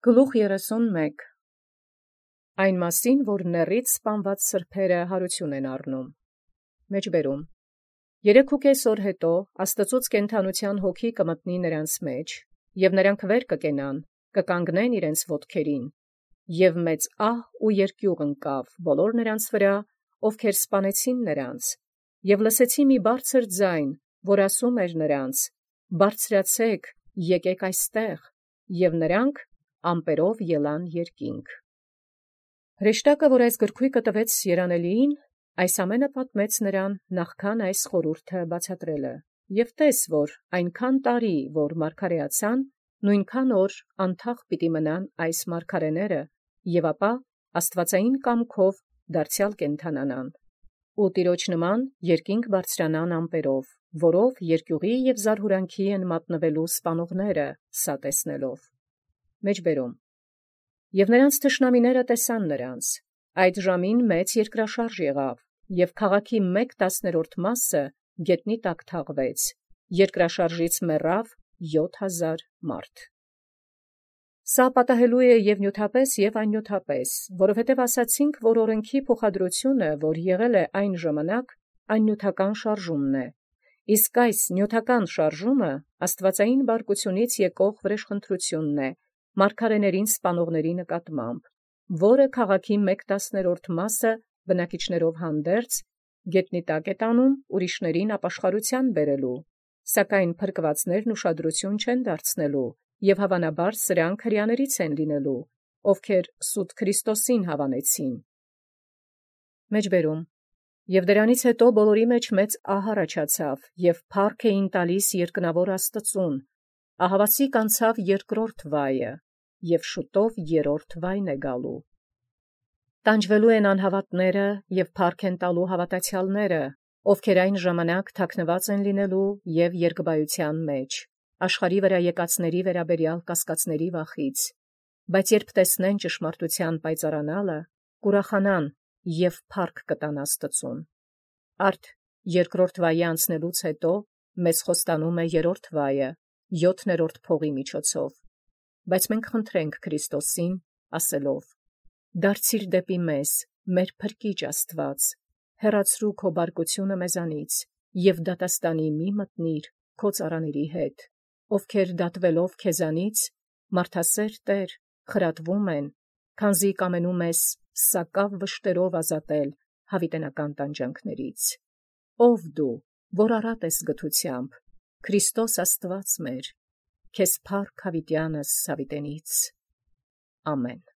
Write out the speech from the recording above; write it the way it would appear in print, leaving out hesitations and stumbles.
Գլուխ 31 Այն մասին, որ նեռից սպանված սրբերը հարություն են առնում։ Մեջբերում. 3.5 օր հետո Աստծուց կենդանութեան հոգի կմտնի նրանց մեջ, և նրանք վեր կկենան, կկանգնեն իրենց ոտքերին, և մեծ ահ ու երկյուղ ընկավ բոլոր նրանց վրա, ովքեր սպանեցին նրանց, և լսեցի մի բարձր ձայն, որ ասում էր նրանց. «Բարձրացէք, եկեք այստեղ», և նրանք ամպերով ելան երկինք։ Հրեշտակը, որ այս գրքոյկը տվեց երանելիին, այս ամենը պատմեց նրան նախքան այս խորհուրդը բացատրելը, և տես, որ այնքան տարի, որ մարգարեացան, նոյնքան օր անթաղ պիտի մնան այս մարգարեները, և ապա աստուածային կամքով դարձեալ կենթանանան, ու տիրոջ նման երկինք բարձրանան ամպերով, որով երկյուղի և զարհուրանքի են մատնվելու սպանողները սա տեսնելով։ Մեջբերում. Եւ նրանց թշնամիները տեսան նրանց, այդ ժամին մեծ երկրաշարժ եղավ, և քաղաքի 1/10 գետնի տակ թաղվեց, երկրաշարժից մեռավ 7000 մարդ։ Սա պատահելու է և նյութապես և աննյութապես, որովհետև ասացինք, որ օրենքի փոխադրությունը, որ եղել է այն ժամանակ, այն նյութական շարժումն է, իսկ այս նյութական շարժումը աստուածային բարկությունից եկող վրեժխնդրությունն է, մարգարեներին սպանողների նկատմամբ, որը քաղաքի 1/10 բնակիչներով հանդերձ գետնի տակ է տանում ուրիշներին ապաշխարութեան բերելու, սակայն փրկվածներն ուշադրություն չեն դարձնելու, և հավանաբար սրանք հրեաներից են լինելու, ովքեր սուտ Քրիստոսին հավանեցին։ Մեջբերում. Եւ դրանից հետո բոլորի մեջ մեծ ահ առաջացավ, և փառք էին տալիս երկնավոր Աստծուն, ահավասիկ անցավ երկրորդ վայը, և շուտով երրորդ վայն է գալու։ Տանջվելու են անհավատները և փառք են տալու հավատացյալները, ովքեր այն ժամանակ թաքնված են լինելու և երկբայության մեջ, աշխարհի վրա եկածների վերաբերյալ կասկածների վախից, բայց երբ տեսնեն ճշմարտութեան պայծառանալը, կուրախանան և փառք կտան Աստծուն։ Արդ երկրորդ վայի անցնելուց հետո մեզ խոստանում է երրորդ վայը, 7-րդ փողի միջոցով, բայց մենք խնդրենք Քրիստոսին, ասելով. «Դարձիր դեպի մեզ, մեր փրկիչ Աստված, հեռացրու քո բարկությունը մեզանից, և դատաստանի մի մտնիր քո ծառաների հետ, ովքեր դատվելով քեզանից, մարդասեր Տեր, խրատվում են, քանզի կամենում ես սակավ վշտերով ազատել յաւիտենական տանջանքներից։ Ով դու, որ առատ ես գթությամբ, Քրիստոս Աստված մեր, քեզ փառք յաւիտյանս յաւիտենից։ Ամեն»։